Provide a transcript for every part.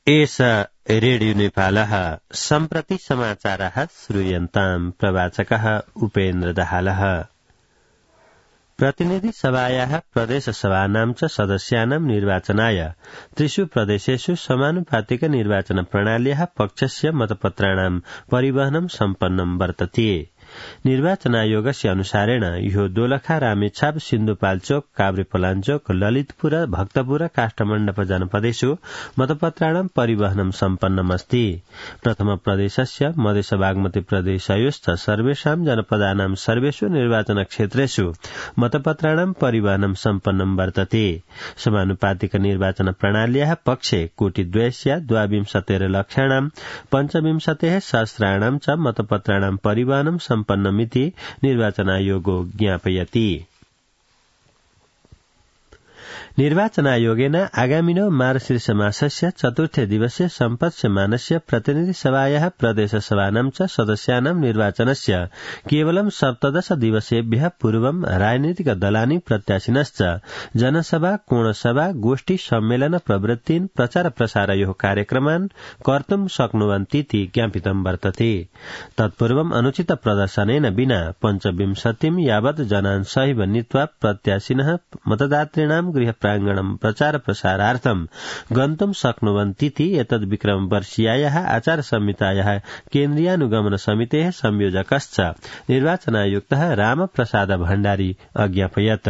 एष रेडियो नेपालः सम्प्रति समाचारः श्रूयन्ताम् प्रवाचकः उपेन्द्र दाहालः। प्रतिनिधि सभायाः प्रदेशसभानां च सदस्यानां निर्वाचनाय त्रिषु प्रदेशेषु समानुपातिक निर्वाचन प्रणाल्याः पक्षस्य मतपत्राणां परिवहनं सम्पन्नं वर्तते। निर्वाचनायोगस्य अनुसारेण यो दोलखा रामेछाप सिन्धुपाल्चोक काभ्रेपलाञ्चोक ललितपुर भक्तपुर काष्ठमण्डप जनपदेषु मतपत्राणां परिवहनं सम्पन्नमस्ति। प्रथम प्रदेशस्य मधेस बागमती प्रदेशयोश्च सर्वेषां जनपदानां सर्वेषु निर्वाचन क्षेत्रेषु मतपत्राणां परिवहनं सम्पन्नं वर्तते। समानुपातिक निर्वाचन प्रणाल्याः पक्षे कोटिद्वयस्य 22 लक्षाणां 25 सहस्राणां च मतपत्राणां परिवहनं सम्पन्नमिति निर्वाचनायोगो ज्ञापयति। निर्वाचनायोगेन आगामिनो मार्गशीर्ष मासस्य चतुर्थे दिवसे सम्पत्स्यमानस्य प्रतिनिधि सभायाः प्रदेशसभानां च सदस्यानां निर्वाचनस्य केवलं 17 दिवसेभ्यः पूर्वं राजनीतिक दलानि प्रत्याशिनश्च जनसभा कोणसभा गोष्ठी सम्मेलन प्रवृत्तीन् प्रचार प्रसारयोः कार्यक्रमान् कर्तुं शक्नुवन्तीति ज्ञापितं वर्तते। तत्पूर्वम् अनुचित प्रदर्शनेन विना 25 यावत् जनान् सहिव नीत्वा प्रत्याशिनः मतदातॄणां गृह प्राङ्गणं प्रचार प्रसारार्थं गन्तुं शक्नुवन्तीति एतद् विक्रमवर्षीयायाः आचार संहितायाः केन्द्रीयानुगमन समितेः संयोजकश्च निर्वाचनायुक्तः रामप्रसाद भण्डारी अज्ञापयत्।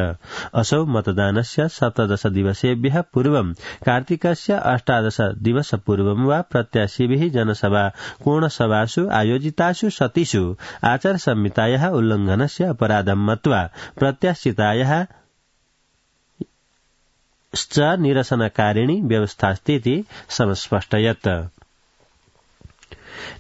असौ मतदानस्य 17 दिवसेभ्यः पूर्वं कार्तिकस्य 18 दिवस पूर्वं वा प्रत्याशिभिः जनसभा कोणसभासु आयोजितासु सतिषु आचार संहितायाः उल्लङ्घनस्य अपराधं मत्वा प्रत्याशितायाः च निरसनकारिणी व्यवस्थास्तीति समस्पष्टयत्।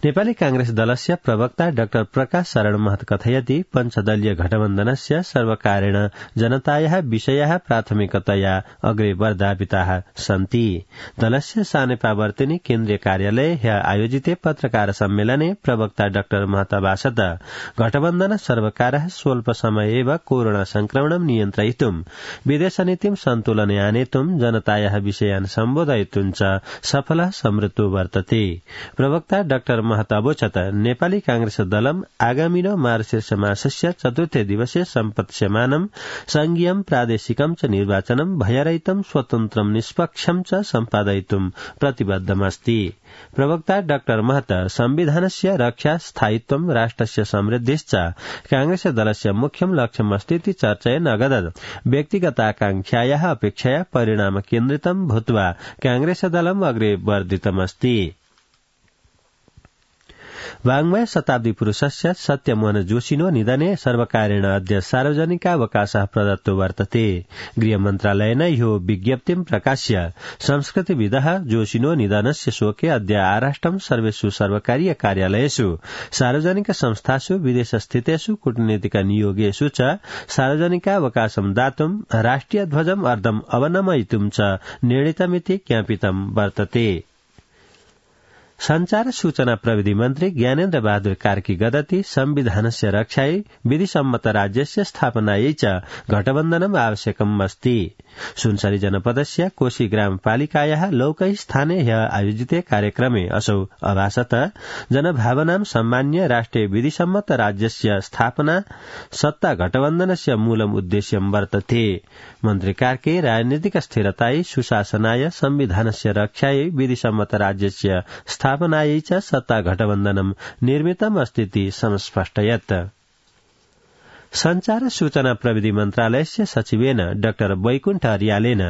नेपाली कांग्रेस दलस्य प्रवक्ता डाक्टर प्रकाश शरण महत कथयति पञ्चदलीय गठबन्धनस्य सर्वकारेण जनतायाः विषयाः प्राथमिकतया अग्रे वर्धापिताः सन्ति। दलस्य सानेपावर्तिनी केन्द्रीय कार्यालये ह्यः आयोजिते पत्रकार सम्मेलने प्रवक्ता डाक्टर महत भाषत गठबन्धन सर्वकारः स्वल्प समये एव कोरोना संक्रमणं नियन्त्रयितुं विदेशनीतिं सन्तुलने आनेतुं जनतायाः विषयान् सम्बोधयितुं च सफलः समृद्धो वर्तते। प्रवक्ता डाक्टर महतावोचत नेपाली कांग्रेस दलम् आगामिनो मार्गशीर्ष मासस्य चतुर्थे दिवसे सम्पत्स्यमानं संघीयं प्रादेशिकं च निर्वाचनं भयरहितं स्वतन्त्रं निष्पक्षं च सम्पादयितुं प्रतिबद्धमस्ति। प्रवक्ता डाक्टर महत संविधानस्य रक्षा स्थायित्वं राष्ट्रस्य समृद्धिश्च कांग्रेस दलस्य मुख्यं लक्ष्यमस्तीति चर्चयन् अगदत् व्यक्तिगताकांक्षायाः अपेक्षया परिणाम केन्द्रितं भूत्वा कांग्रेस दलम् अग्रे वर्धितमस्ति। वाङ्मय शताब्दी पुरुषस्य सत्यमोहन जोशिनो निधने सर्वकारेण अद्य सार्वजनिकावकाशः प्रदत्तो वर्तते। गृहमन्त्रालयेन यो विज्ञप्तिं प्रकाश्य संस्कृतिविदः जोशिनो निधनस्य शोके अद्य आराष्ट्रं सर्वेषु सर्वकारीय कार्यालयेषु सार्वजनिक संस्थासु विदेशस्थितेषु कूटनीतिक नियोगेषु च सार्वजनिकावकाशं दातुं राष्ट्रियध्वजम् अर्धम् अवनमयितुं च निर्णीतमिति ज्ञापितं वर्तते। संचार सूचना प्रविधि मन्त्री ज्ञानेन्द्र बहादुर कार्की गदति संविधानस्य रक्षायै विधिसम्मत राज्यस्य स्थापनायै च गठबन्धनम् आवश्यकम् अस्ति। सुनसरी जनपदस्य कोशी ग्रामपालिकायाः लौकै स्थाने ह्यः आयोजिते कार्यक्रमे असौ अभाषत जनभावनां सम्मान्य राष्ट्रिय विधिसम्मत राज्यस्य स्थापना सत्ता गठबन्धनस्य मूलम् उद्देश्यं वर्तते। मन्त्री कार्के राजनीतिक स्थिरतायै सुशासनाय संविधानस्य रक्षायै विधिसम्मत राज्यस्य स्थापनायै च सत्ता गठबन्धनं निर्मितम् अस्तीति समस्पष्टयत्। संचार सूचना प्रविधि मन्त्रालयस्य सचिवेन डाक्टर वैकुण्ठ अर्यालेन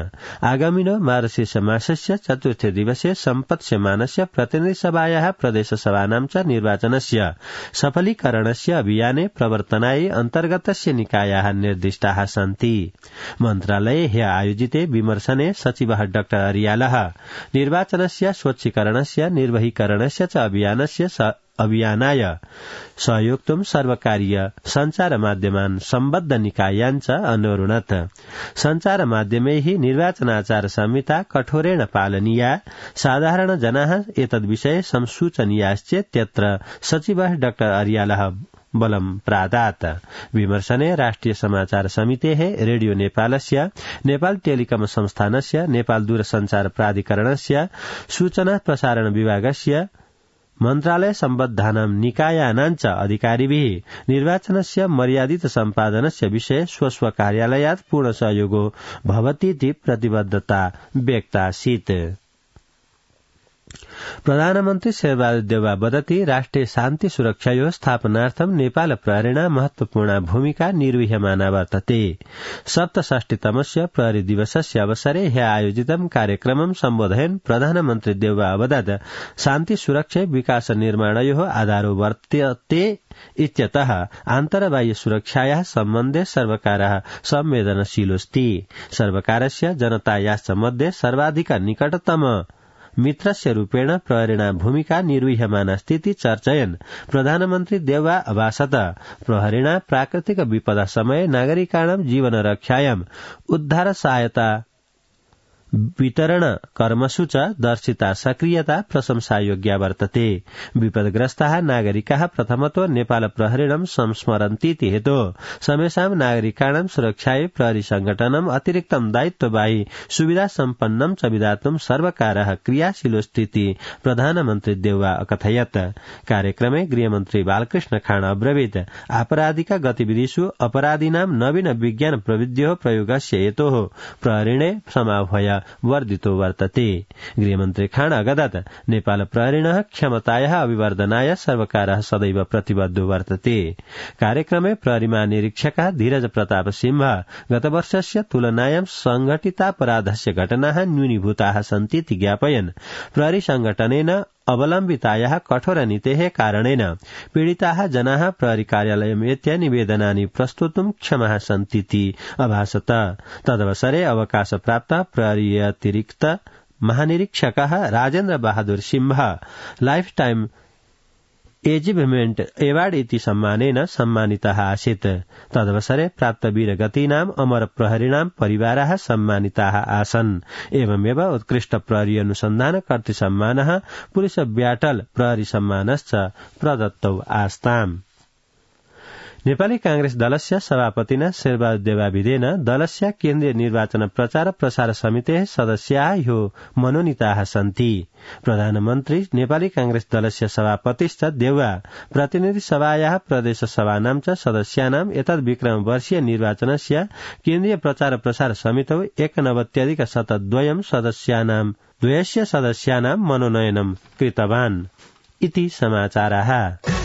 आगामिनो मार्गशीर्ष मासस्य चतुर्थे दिवसे सम्पत्स्यमानस्य प्रतिनिधिसभायाः प्रदेशसभानां च निर्वाचनस्य सफलीकरणस्य अभियाने प्रवर्तनाय अन्तर्गतस्य निकायाः निर्दिष्टाः सन्ति। मन्त्रालये ह्यः आयोजिते विमर्शने सचिवः डाक्टर अर्यालः निर्वाचनस्य स्वच्छीकरणस्य निर्वहीकरणस्य च अभियानाय सहयोक्तुं सर्वकारीय संचार माध्यमान् सम्बद्ध निकायान् च अनुरुणत्। संचार माध्यमैः निर्वाचनाचार संहिता कठोरेण पालनीया, साधारण जनाः एतद्विषये संसूचनीयाश्चेत् त्यत्र सचिवः डाक्टर अर्यालः बलं प्रादात्। विमर्शने राष्ट्रिय समाचार समितेः रेडियो नेपालस्य, नेपाल टेलिकम संस्थानस्य, नेपाल दूरसञ्चार प्राधिकरणस्य, सूचना प्रसारण विभागस्य, मन्त्रालय सम्बद्धानां निकायानाञ्च अधिकारिभिः निर्वाचनस्य मर्यादित सम्पादनस्य विषये स्वस्व कार्यालयात् पूर्ण सहयोगो भवतीति प्रतिबद्धता व्यक्तासीत्। प्रधानमन्त्री शेरबहादुर देउवा वदति राष्ट्रिय शान्ति सुरक्षायोः स्थापनार्थं नेपाल प्रहरिणा महत्वपूर्णा भूमिका निर्वह्यमाना वर्तते। 67तमस्य प्रहरी दिवसस्य अवसरे ह्यः आयोजितं कार्यक्रमं सम्बोधयन् प्रधानमन्त्री देउवा अवदत् शान्ति सुरक्षा विकास निर्माणयोः आधारो वर्तते इत्यतः आन्तरबाह्य सुरक्षायाः सम्बन्धे सर्वकारः संवेदनशीलोऽस्ति। सर्वकारस्य जनतायाश्च मध्ये सर्वाधिक निकटतम मित्रस्य रूपेण प्रहरिणा भूमिका निर्वह्यमानास्तीति चर्चयन् प्रधानमन्त्री देउवा अभाषत प्रहरिणा प्राकृतिक विपदा समये नागरिकाणां जीवन रक्षायां उद्धार सहायता वितरण कर्मसु च दर्शिता सक्रियता प्रशंसायोग्या वर्तते। विपदग्रस्ताः नागरिकाः प्रथमतो नेपाल प्रहरिणं संस्मरन्तीति हेतोः समेषां नागरिकाणां सुरक्षायै प्रहरी संगठनम् अतिरिक्तं दायित्ववाही सुविधा सम्पन्नं च विधातुं सर्वकारः क्रियाशीलोऽस्तीति प्रधानमन्त्री देउवा अकथयत्। कार्यक्रमे गृहमन्त्री बालकृष्ण खाँड अब्रवीत् आपराधिक गतिविधिषु अपराधिनां नवीन विज्ञान प्रविध्योः प्रयोगस्य हेतोः प्रहरिणे समाह्वय वर्धितो वर्तते। गृहमन्त्री खाँड अगदत् नेपाल प्रहरिणः क्षमतायाः अभिवर्धनाय सर्वकारः सदैव प्रतिबद्धो वर्तते। कार्यक्रमे प्रहरी महानिरीक्षकः धीरज प्रताप सिंह गतवर्षस्य तुलनायां संघटितापराधस्य घटनाः न्यूनीभूताः सन्तीति ज्ञापयन् प्रहरी संगठनेन अवलम्बितायाः कठोर नीतेः कारणेन पीडिताः जनाः प्रहरी कार्यालयमेत्य निवेदनानि प्रस्तुतुं क्षमाः सन्तीति अभाषत। तदवसरे अवकाशप्राप्त प्रहरी अतिरिक्त महानिरीक्षकः Rajendra Bahadur Singh lifetime achievement award इति सम्मानेन सम्मानितः आसीत्। तदवसरे प्राप्त वीरगतीनाम् अमर प्रहरिणां परिवाराः सम्मानिताः आसन्। एवमेव उत्कृष्ट प्रहरी अनुसन्धान कर्तृ सम्मानः पुलिस ब्याटल प्रहरी सम्मानश्च प्रदत्तौ आस्ताम्। नेपाली कांग्रेस दलस्य सभापतिना शेरबहादुर देउवाभिधेन दलस्य केन्द्रीय निर्वाचन प्रचार प्रसार समितेः सदस्याः ह्यो मनोनीताः सन्ति। प्रधानमन्त्री नेपाली कांग्रेस दलस्य सभापतिश्च देउवा प्रतिनिधि सभायाः प्रदेश सभानां च सदस्यानाम् एतद् विक्रमवर्षीय निर्वाचनस्य केन्द्रीय प्रचार प्रसार समितौ 89+2 सदस्यानां मनोनयनं कृतवान् इति समाचाराः।